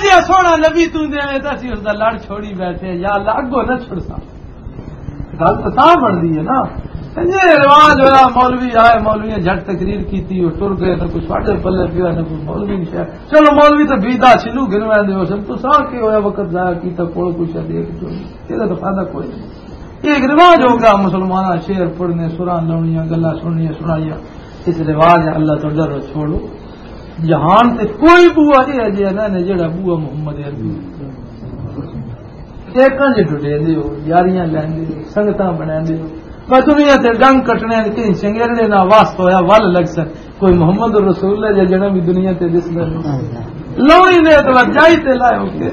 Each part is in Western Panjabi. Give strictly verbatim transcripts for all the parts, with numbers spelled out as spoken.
یہ سونا نبی توں دے، تے اسی اس دا لڑ چھوڑی بیٹھے، یا اللہ، اگوں نہ چھڑساں۔ گل تو تاں بنتی ہے نا۔ یہ رواج ہویا، مولوی آئے، مولوی نے جھٹ تقریر کیتی، وہ ٹر گئے، نہ کوئی ساڈے پلے پیا، نہ کوئی مولوی نے شاید۔ چلو، مولوی تو بیدا سلو گن ویندے ہو سن، تو سا کی ہویا، وقت ضائع کیتا، کول کچھ دیکھ جو، یہ تو فائدہ کوئی نہیں۔ یہ ایک رواج ہو گیا، مسلماناں شعر پڑھنے، سراں لاؤنیاں، گلاں سننیاں، سنائیاں۔ اس رواج ہے، اللہ تو ڈرو، چھوڑو۔ جہان تے کوئی بوا یہ ہے جے نہ نے جڑا بوا محمد عربی۔ ایکاں جے ڈڈے دے ہو، یاریاں لیندے ہو، سنگتاں بناندے ہو۔ بس دنیا تے ڈنگ کٹنے، کہیں سنگیرڑے نہ واسطہ ہویا، ول لگ سن۔ کوئی محمد رسول اللہ جا جنم بھی دنیا تے دسدا نہیں۔ لوڑی نے تو جائی تے لائے ہو کے۔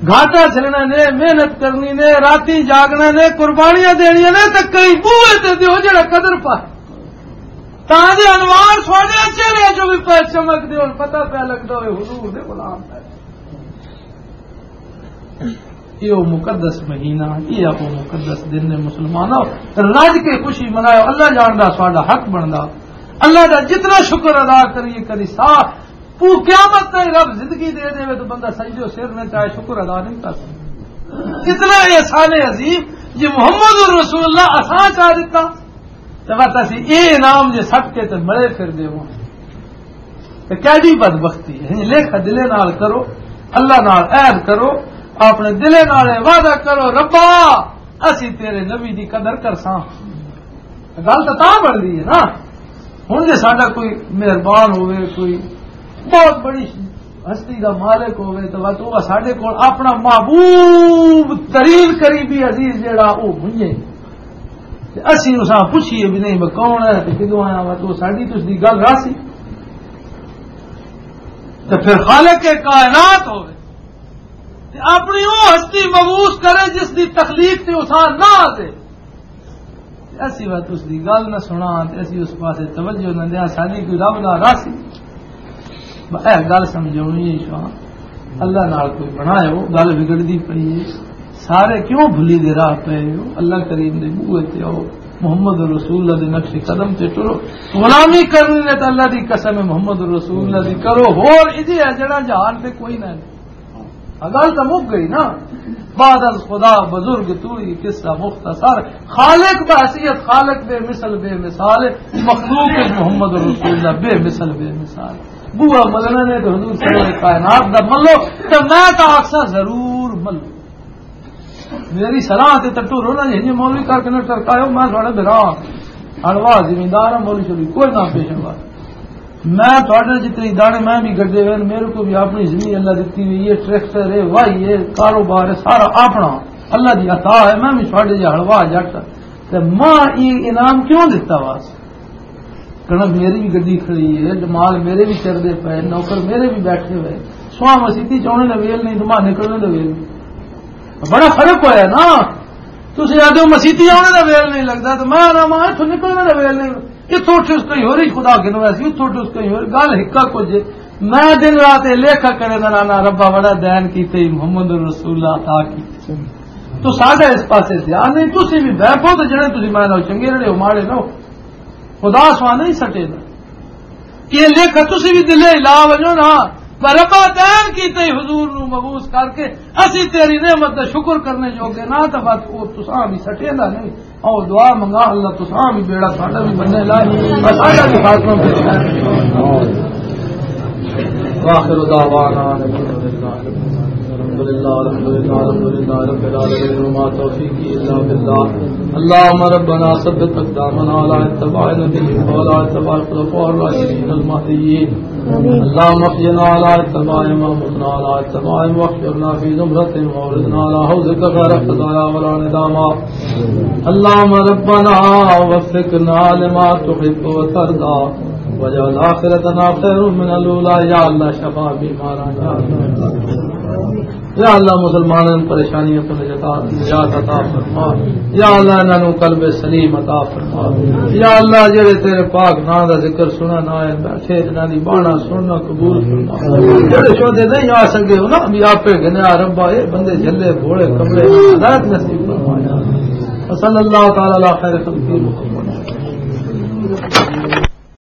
گھاٹا جھلنا نے، محنت کرنی نے، راتیں جاگنا نے، قربانیاں دینیاں نے، تے کئی بوئے تے دیو جڑا قدر پا۔ تاں جے انوار سونے چہرے جو بھی پہ چمک دے، ہن پتہ پہ لگدا ہوئے حضور دے غلام ہے۔ یہ وہ مقدس مہینہ، یہ وہ مقدس دن نے، مسلمانوں، رج کے خوشی مناؤ۔ اللہ جاندا ساڈا حق بندا، اللہ دا جتنا شکر ادا کریے، کری سا، وہ قیامت تائیں رب زندگی دے دے تو بندہ سجدے و سر میں چاہے شکر ادا نہیں کر سکتا۔ اتنا احسان عظیم جی محمد رسول اللہ اساں چاہ دیتا۔ تے بس اسی اے انعام جے سٹ کے تے مڑے پھر دے ہوں۔ تے کیڈی بدبختی ہے؟ لکھ دلے نال کرو، اللہ نال عہد کرو، اپنے دلے نال اے وعدہ کرو، "ربا، اسی تیرے نبی دی قدر کرساں۔" گل تاں تاں بن گئی ہے نا۔ ہن جے ساڈا کوئی مہربان ہوئے، کوئی بہت بڑی ہستی دا مالک ہوئے، تو بس وہ ساڈے کول اپنا محبوب ترین قریبی عزیز جیڑا، وہ منجے۔ تے اسی اساں پوچھیے بھی نہیں، میں کون ہے تے کدوں آیا وا، تو ساڈی تے اس دی گل راسی۔ تے پھر خالق کائنات ہوے تے اپنی او ہستی مبعوث کرے جس دی تخلیق تے اساں نہ آتے۔ تے اسی وقت اس دی گل نہ سنا تے اسی اس پاسے توجہ نہ دیا، ساڈی کوئی رب نہ راسی۔ اے گل سمجھونی ہے شاہ، اللہ نال کوئی بنایا ہو، گل بگڑدی پئی ہے۔ سارے کیوں بھلی دے راہ پے ہو؟ اللہ کریم دے بوئے تے آؤ، محمد رسول اللہ دے نقش قدم تے ٹرو۔ غلامی کرنی نے تے اللہ دی قسم ہے، محمد رسول اللہ دی کرو۔ ہور ایجے ہے جڑا جہان تے کوئی نہ ہے۔ گل تاں مک گئی نا۔ بعد از خدا بزرگ تو ہی قصہ مختصر۔ خالق بحیثیت خالق بے مثل بے مثال ہے، مخلوق ہے محمد رسول اللہ بے مثل بے مثال۔ بوا ملنا نے تو حضور سرور کائنات دا ملو، تے میں تاں آکھساں ضرور ملو۔ میری صلاح تے تٹو رونا جی، جی مولوی کر کے نہ ٹرکاؤ، میں تھوڑے بھرا ہاں۔ ہلوا زمیندار ہاں، مولوی شولوی کوئی نہ پیش ہوا۔ میں تھوڑے جتنی دانے میں بھی گڈے ہوئے، میرے کو بھی اپنی زمین اللہ دیتی ہوئی ہے، ٹریکٹر ہے، واہی ہے، کاروبار ہے، سارا اپنا اللہ دی عطا ہے۔ میں بھی تھوڑے جہا ہلوا جٹ، تے ماں یہ انعام کیوں دیتا وا؟ کنک میری بھی گڈی کھڑی ہے، مال میرے بھی چردے پے، نوکر میرے بھی بیٹھے ہوئے۔ سواں مسیتی چ آنے دا ویل نہیں، تو ماں نکلنے دا ویل نہیں۔ بڑا فرق ہویا نا۔ تسی آدھے ہو مسیتی آنے دا ویل نہیں لگدا، تو میں آنا ماں اتھوں نکلنے دا ویل نہیں۔ اتھوں اٹھ اس کہیں ہور ہی خدا گنوا سی، اتھوں اٹھ اس کہیں ہور۔ گل ہکا کچھ ہے۔ میں دن رات یہ لیکھا کرے دا، نانا ربا بڑا دین کیتے ہی محمد رسول اللہ عطا کیتے۔ تو ساڈا اس پاسے دھیان نہیں، تسی بھی بہ پو تے جڑے تسی میں نال چنگے رہے ہو، ماڑے نہ ہو۔ خدا سوا نہیں سٹے دا۔ یہ لکھ تسی بھی دلے لا ونجو نا، پر ربا دین کیتے ہی حضور نو مبعوث کر کے اسی تیری نعمت دا شکر کرنے جوگے نہ، تے بس او تساں بھی سٹے دا نہیں۔ او دعا منگا اللہ تساں بھی بیڑا ساڈا بھی بننے لائے، بس ساڈا بھی خاتمہ بننے لائے۔ واخر دعوانا ان الحمد للہ، الحمد للہ، الحمد للہ رب العالمین، وما توفیقی الا باللہ۔ اللهم ربنا ثبت اقدامنا على اتباع نبيك وعلى اتباع الخلفاء الراشدين المهديين۔ اللهم احينا على اتباعهم وامتنا على اتباعهم واحشرنا في زمرتهم واوردنا على حوضك غير خزايا ولا ندامى۔ اللهم ربنا وفقنا لما تحب وترضى واجعل آخرتنا خير من الأولى۔ یا اللہ شفا بیماراں، یا اللہ۔ یا اللہ، مسلماناں نوں پریشانیاں تو نجات، نجات عطا فرما۔ یا اللہ، انہاں نوں قلب سلیم عطا فرما۔ یا اللہ، جڑے تیرے پاک نام دا ذکر سنن آئے بیٹھے، انہاں دی بانا سننا قبول فرما۔ جڑے شہدے نہیں آ سکے، انہاں بھی آپے گنیا ربا، اے بندے جھلے بھولے کملے، ہدایت نصیب فرما۔ وصلی اللہ تعالی علی خیر خلقہ محمد۔